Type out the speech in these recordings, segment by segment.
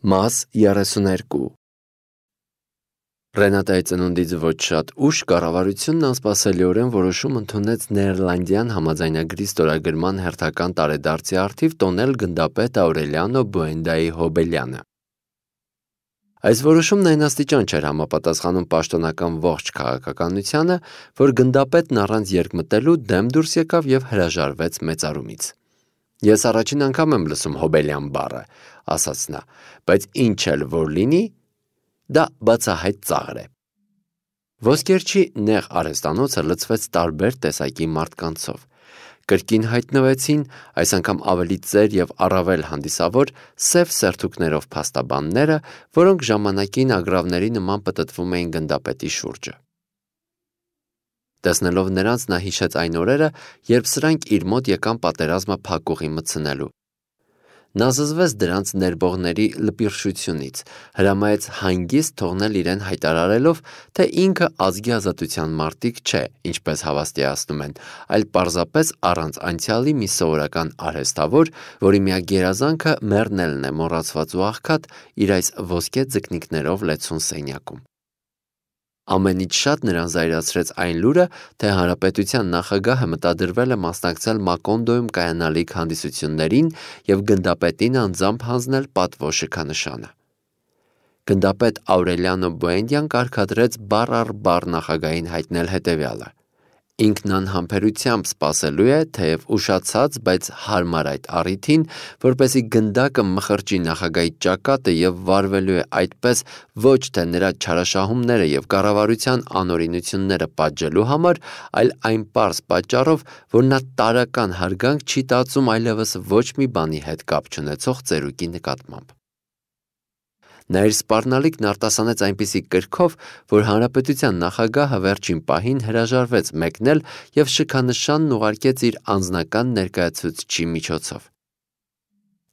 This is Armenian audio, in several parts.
Մաս 32 Ռենատայի ծնունդից ոչ շատ ուշ կառավարությունն անսպասելիորեն որոշում ընդունեց Նեդերլանդյան համաձայնագրի ստորագրման հերթական տարեդարձի առթիվ տոնել գնդապետ Աուրելիանո Բուենդայի Հոբելյանը։ Այս որոշումն այն աստիճան չէր համապատասխանում պաշտոնական ողջ քաղաքականությանը, որ գնդապետն առանց երկմտելու դեմ դուրս եկավ և հրաժարվեց մեծարումից։ Ես առաջին անգամ եմ լսում Հոբելյան բառը, ասաց նա, բայց ինչ էլ որ լինի, դա բացահայտ ծաղր է։ Ոսկերչի նեղ արհեստանոցը լցվեց տարբեր տեսակի մարդկանցով։ Կրկին հայտնվեցին, այս անգամ ավելի ծեր և առավել հանդիսավոր, սև սերթուկներով փաստաբանները, որոնք ժամանակին ագռավների նման պտտվում էին գնդապետի շուրջը։ Տեսնելով նրանց նա հիշեց այն օրերը, երբ սրանք իր մոտ եկան պատերազմը փակուղի մտցնելու։ Նա զզվեց դրանց ներբողների լպիրշությունից, հրամայեց հանգիստ թողնել իրեն հայտարարելով, թե ինքը ազգի ազատության մարտիկ չէ, ինչպես հավաստիացնում են, այլ պարզապես առանց անցյալի մի սովորական արհեստավոր, որի միակ գերազանքը մեռնելն է մոռացված ու աղքատ իր այս ոսկե ձկնիկներով լեցուն սենյակում։ Ամենից շատ նրան զայրացրեց այն լուրը, թե հանրապետության նախագահը մտադրվել է մասնակցել Մակոնդոյում կայանալիք հանդիսություններին և գնդապետին անձամբ հանձնել պատվո շքանշանը։ Գնդապետ Աուրելիանո Բուենդյան կարգադրեց բառ առ բառ նախագահին հայտնել հետևյալը. Ինքն անհամբերությամբ սպասելու է, թեև ուշացած, բայց հարմար այդ առիթին, որպեսզի գնդակը մխրճի նախագահի ճակատը և վարվելու է այդպես ոչ թե նրա չարաշահումները և կառավարության անօրինությունները պատժելու համար, այլ այն պարզ պատճառով, որ նա տարրական հարգանք չի տածում այլևս ոչ մի բանի հետ կապ չունեցող ծերուկի նկատմամբ։ Նա իր սպառնալիքն արտասանեց այնպիսի կրքով, որ հանրապետության նախագահը վերջին պահին հրաժարվեց մեկնել և շքանշանն ուղարկեց իր անձնական ներկայացուցչի միջոցով։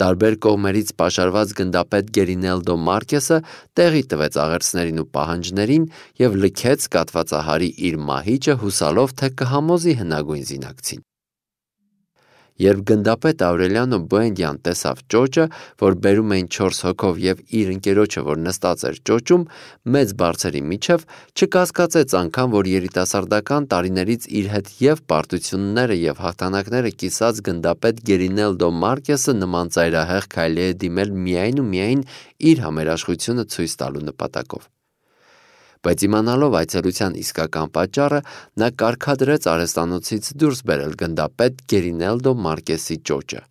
Տարբեր կողմերից պաշարված գնդապետ Գերինելդո Մարկեսը տեղի տվեց աղերսներին ու պահանջներին և լքեց կաթվածահարի իր մահիճը հուսալով, թե կհամոզի հնագույն զինակցին։ Երբ գնդապետ Աուրելիանո Բուենդյան տեսավ ճոճը, որ բերում էին 4 հոգով և իր ընկերոջը, որ նստած էր ճոճում, մեծ բարձերի միջև, չկասկածեց անգամ, որ երիտասարդական տարիներից իր հետ և պարտությունները և հաղթանակները կիսած գնդապետ Գերինելդո Մարկեսը նման ծայրահեղ քայլի է դիմել միայն ու միայն իր համերաշխությունը ցույց տալու նպատակով։ Բայց իմանալով այցելության իսկական պատճառը, նա կարգադրեց արհեստանոցից դուրս բերել գնդապետ Գերինելդո Մարկեսի ճոճը։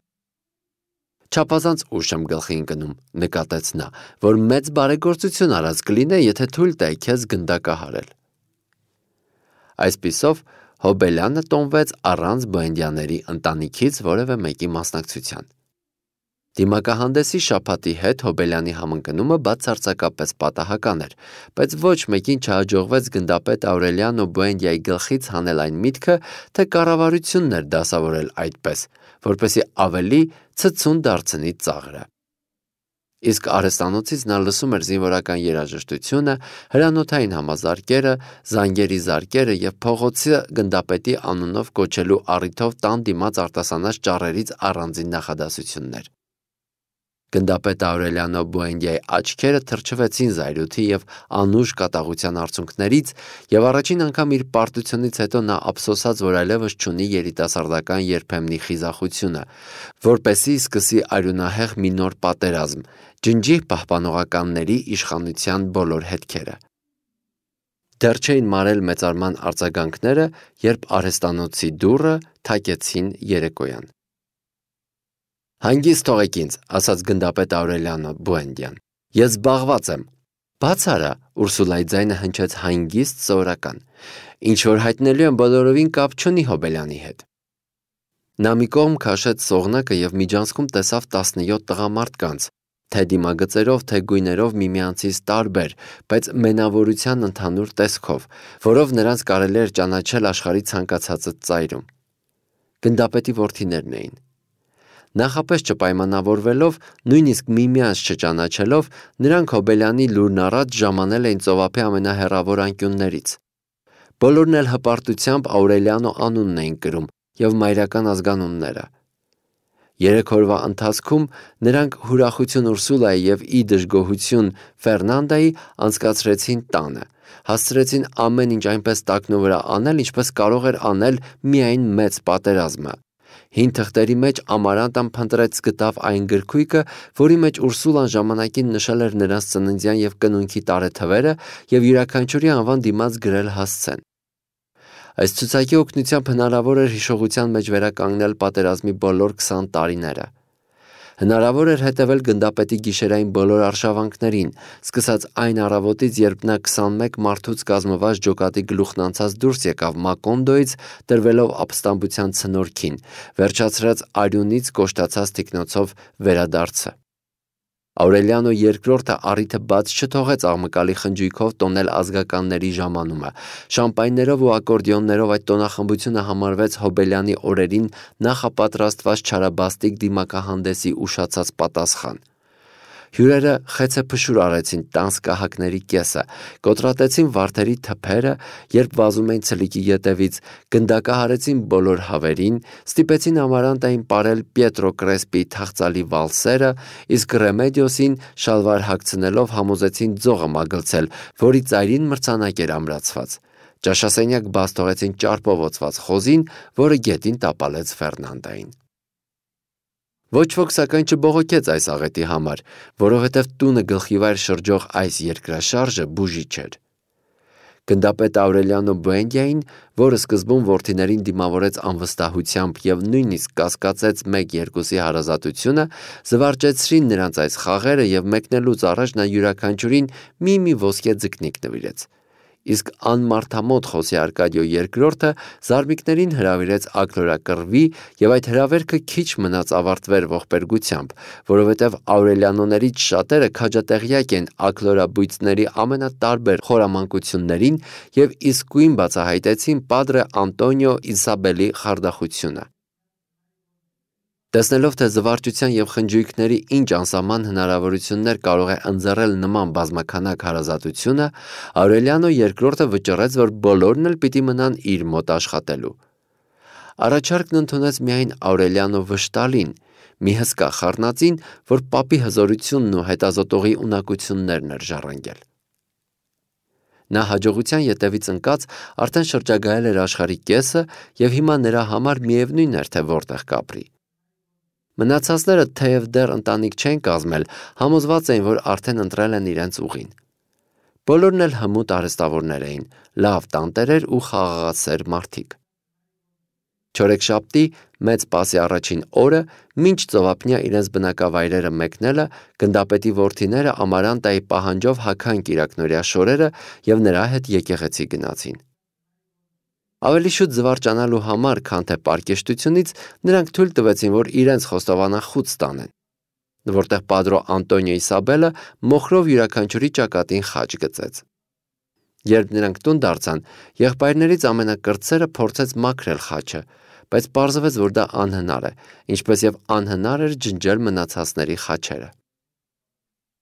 Չափազանց ուշ եմ գլխի ընկնում, նկատեց նա, որ մեծ բարեգործություն արած կլինե, եթե թույլ տայի քեզ գնդակը հարել։ Այսպիսով Հոբելյանը տոնվեց առանց Բուենդյանների ընտանիքից որևէ մեկի մասնակցության։ Դիմակահանդեսի շաբաթի հետ Հոբելյանի համընկնումը բացարձակապես պատահական էր, բայց ոչ մեկին չհաջողվեց գնդապետ Աուրելիանո Բուենդյայի գլխից հանել այն միտքը, թե կառավարությունն էր դասավորել այդպես, որպեսզի ավելի ցցուն դարձնի ծաղրը։ Իսկ արհեստանոցից նա լսում էր զինվորական երաժշտությունը, հրանոթային համազարկերը, զանգերի զարկերը և փողոցը գնդապետի անունով կոչելու առիթով տան դիմաց արտասանած ճառերից առանձին նախադասություններ։ Գնդապետ Աուրելիանո Բուենդյայի աչքերը թրջվեցին զայրույթի և անուշ կատաղության արցունքներից, և առաջին անգամ իր պարտությունից հետո նա ափսոսաց, որ այլևս չունի երիտասարդական երբեմնի խիզախությունը, որպեսզի սկսի արյունահեղ մի նոր պատերազմ, ջնջի պահպանողականների իշխանության բոլոր հետքերը։ Դեռ չէին մարել մեծարման արձագանքները, երբ արհեստանոցի դուռը թակեցին երեկոյան։ Հանգիստ թողեք ինձ, ասաց գնդապետ Աուրելիանո Բուենդյան։ Ես զբաղված եմ։ Բաց արա, Ուրսուլայի ձայնը հնչեց հանգիստ սովորական։ Ինչ որ հայտնելու եմ բոլորովին կապ չունի Հոբելյանի հետ։ Նա մի կողմ քաշեց սողնակը և միջանցքում տեսավ 17 տղամարդկանց, թե դիմագծերով, թե գույներով միմյանցից տարբեր, բայց մենավորության ընդհանուր տեսքով, որով նրանց կարելի էր ճանաչել աշխարհի ցանկացած ծայրում։ Գնդապետի որդիներն էին։ Նախապես չպայմանավորվելով, նույնիսկ միմյանց չճանաչելով, նրանք Հոբելյանի լուրն առած ժամանել էին ծովափի ամենահեռավոր անկյուններից։ Բոլորն էլ հպարտությամբ Աուրելիանո անունն էին կրում և մայրական ազգանունները։ 3 օրվա ընթացքում նրանք հուրախություն Ուրսուլայի և ի դժգոհություն Ֆերնանդայի անցկացրեցին տանը, հասցրեցին ամեն ինչ այնպես տակնու վրա անել, ինչպես կարող էր անել միայն մեծ պատերազմը։ Հին թղթերի մեջ Ամարանտան փնտրեց գտավ այն գրքույկը, որի մեջ Ուրսուլան ժամանակին նշել էր նրանց ծննդյան և կնունքի տարեթվերը և յուրաքանչյուրի անվան դիմաց գրել հասցեն։ Այս ցուցակի օգնությամբ հնարավոր էր հիշողության մեջ վերականգնել պատերազմի բոլոր 20 տարիները։ Հնարավոր էր հետևել գնդապետի գիշերային բոլոր արշավանքներին, սկսած այն առավոտից, երբ նա 21 մարդուց կազմված ջոկատի գլուխն անցած դուրս եկավ Մակոնդոյից, տրվելով ապստամբության ցնորքին, վերջացրած արյունից կոշտացած թիկնոցով վերադարձը։ Աուրելիանո II առիթը բաց չթողեց աղմկալի խնջույքով տոնել ազգականների ժամանումը։ Շամպայներով ու ակորդեոններով այդ տոնախմբությունը համարվեց Հոբելյանի օրերին նախապատրաստված չարաբաստիկ դիմակահանդեսի ուշացած պատասխան։ Հյուրերը խեցեփշուր արեցին տանձ կահակների կեսը, կոտրատեցին վարդերի թփերը, երբ վազում էին ցլիկի ետևից, գնդակահարեցին բոլոր հավերին, ստիպեցին Ամարանտային պարել Պիետրո Կրեսպիի թախծալի վալսերը, իսկ Ռեմեդիոսին շալվար հագցնելով համոզեցին ձողը մագլցել, որի ծայրին մրցանակ էր ամրացված։ Ճաշասենյակ բաց թողեցին ճարպով օծված խոզին, որը գետին տապալեց Ֆերնանդային։ Ոչ ոք սակայն չբողոքեց այս աղետի համար, որովհետև տունը գլխիվայր շրջող այս երկրաշարժը բուժիչ էր։ Գնդապետ Աուրելիանո Բուենդիային, որը սկզբում որդիներին դիմավորեց անվստահությամբ և նույնիսկ կասկածեց 1-2-ի հարազատությունը, զվարճեցրին նրանց այս խաղերը և մեկնելուց առաջ նա յուրաքանչյուրին մի ոսկե ձկնիկ նվիրեց։ Իսկ անմարդամոտ Խոսե Արկադիո II զարմիկներին հրավիրեց աքլորակռվի և այդ հրավերքը քիչ մնաց ավարտվեր ողբերգությամբ, որովհետև Աուրելիանոներից շատերը քաջատեղյակ են աքլորաբույծների ամենատարբեր խորամանկություններին և իսկույն բացահայտեցին Падրե Անտոնիո Իսաբելի խարդախությունը։ Տեսնելով, թե զվարճության և խնջույքների ինչ անսահման հնարավորություններ կարող է ընձեռել նման բազմաքանակ հարազատությունը, Աուրելիանո II վճռեց, որ բոլորն էլ պիտի մնան իր մոտ աշխատելու։ Առաջարկն ընդունեց միայն Աուրելիանո Վշտալին, մի հսկա խառնածին, որ պապի հզորությունն ու հետազոտողի ունակություններն էր ժառանգել։ Նա հաջողության ետևից ընկած արդեն շրջագայել էր աշխարհի կեսը և հիմա նրա համար միևնույն էր, թե որտեղ կապրի։ Մնացածները, թեև դեռ ընտանիք չեն կազմել, համոզված էին, որ արդեն ընտրել են իրենց ուղին։ Բոլորն էլ հմուտ արհեստավորներ էին, լավ տանտերեր ու խաղաղասեր մարդիկ։ Չորեքշաբթի մեծ պասի առաջին օրը, մինչ ծովափնյա իրենց բնակավայրերը մեկնելը, գնդապետի որդիները Ամարանտայի պահանջով հագան կիրակնօրյա շորերը և նրա հետ եկեղեցի գնացին։ Ավելի շուտ զվարճանալու համար, քան թե պարկեշտությունից, նրանք թույլ տվեցին, որ իրենց խոստովանախուտ ստանեն, որտեղ Падրո Անտոնիո Իսաբելը մոխրով յուրաքանչյուրի ճակատին խաչ գծեց։ Երբ նրանք տուն դարձան, եղբայրներից ամենակրտսերը փորձեց մաքրել խաչը, բայց պարզվեց, որ դա անհնար է, ինչպես և անհնար էր ջնջել մնացածների խաչերը։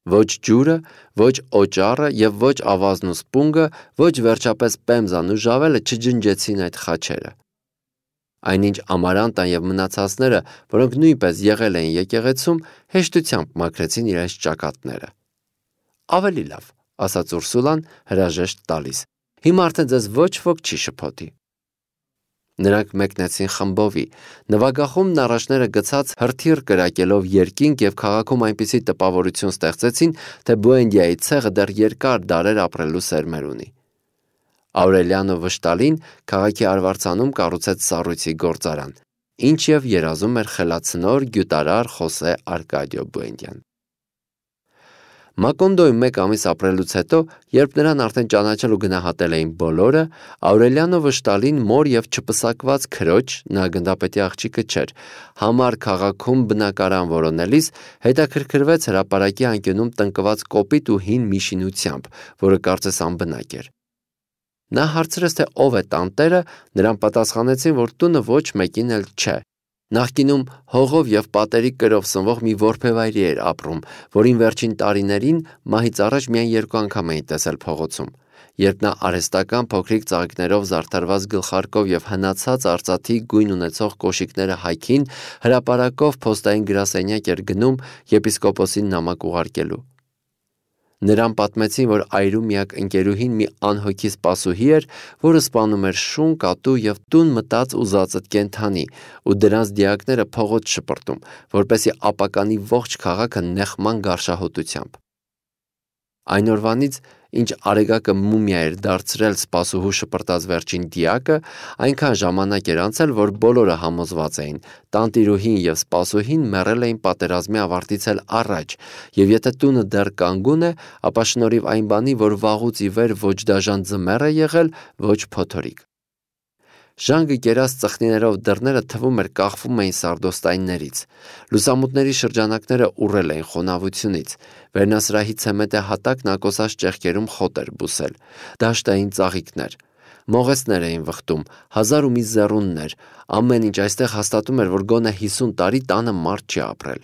Ոչ ջուրը, ոչ օճառը և ոչ ավազն ու սպունգը, ոչ վերջապես պեմզան ու ժավելը չջնջեցին այդ խաչերը։ Այնինչ Ամարանտան և մնացածները, որոնք նույնպես եղել էին եկեղեցում, հեշտությամբ մաքրեցին իրենց ճակատները։ Ավելի լավ, ասաց Ուրսուլան հրաժեշտ տալիս, հիմա արդեն ձեզ ոչ ոք չի շփոթի։ Նրանք մեկնեցին խմբովի, նվագախումբն առաջները գցած հրթիռ կրակելով երկինք և քաղաքում այնպիսի տպավորություն ստեղծեցին, թե Բուենդիայի ցեղը դեռ երկար դարեր ապրելու սերմեր ունի։ Աուրելիանո Վշտալին քաղաքի արվարձանում կառուցեց սառույցի գործարան, ինչ և երազում էր խելացնոր գյուտարար Խոսե Արկադիո Բուենդիան։ Մակոնդոյում 1 ամիս ապրելուց հետո, երբ նրան արդեն ճանաչել ու գնահատել էին բոլորը, Աուրելիանո Վշտալին մոր և չպսակված քրոջ, նա գնդապետի աղջիկը չէր, համար քաղաքում բնակարան որոնելիս, հետաքրքրվեց հրապարակի անկյունում տնկված կոպիտ ու հին մի շինությամբ, որը կարծես անբնակ էր։ Նա հարցրեց, թե ով է տանտերը, նրան պատասխանեցին, որ տունը ոչ մեկին էլ չէ։ Նախկինում հողով և պատերի կրով սնվող մի որբևայրի էր ապրում, որին վերջին տարիներին մահից առաջ միայն 2 անգամ էին տեսել փողոցում, Երբ նա արհեստական փոքրիկ ծաղիկներով զարդարված գլխարկով եւ հնացած արծաթի գույն ունեցող կոշիկները հայքին հրապարակով փոստային գրասենյակ էր գնում եպիսկոպոսին նամակ ուղարկելու։ Նրան պատմեցին, որ այրու միակ ընկերուհին մի անհոգի սպասուհի էր, որը սպանում էր շուն, կատու եւ տուն մտած ու զածդ կենդանի, ու դրանց դիակները փողոց շպրտում, որպեսզի ապականի ողջ քաղաքը նեղման գարշահոտությամբ։ Այն օրվանից, ինչ Արեգակը մումիա էր դարձրել սպասուհու շպրտած վերջին դիակը, այնքան ժամանակ էր անցել, որ բոլորը համոզված էին, տանտիրուհին եւ սպասուհին մեռել էին պատերազմի ավարտից էլ առաջ, եւ եթե տունը դեռ կանգուն է, ապա շնորհիվ այն բանի, որ վաղուց ի վեր ոչ դաժան ձմեռ է եղել, ոչ փոթորիկ։ Ժանգը կերած ծխնիներով դռները թվում էր կախվում էին սարդոստայններից։ Լուսամուտների շրջանակները ուռել էին խոնավությունից։ Վերնասրահի ցեմենտե հատակն ակոսած ճեղքերում խոտ էր բուսել։ Դաշտային ծաղիկներ։ Մողեսներ էին վխտում, հազար ու մի զեռուններ։ Ամեն ինչ այստեղ հաստատում էր, որ գոնե 50 տարի տանը մարդ չի ապրել։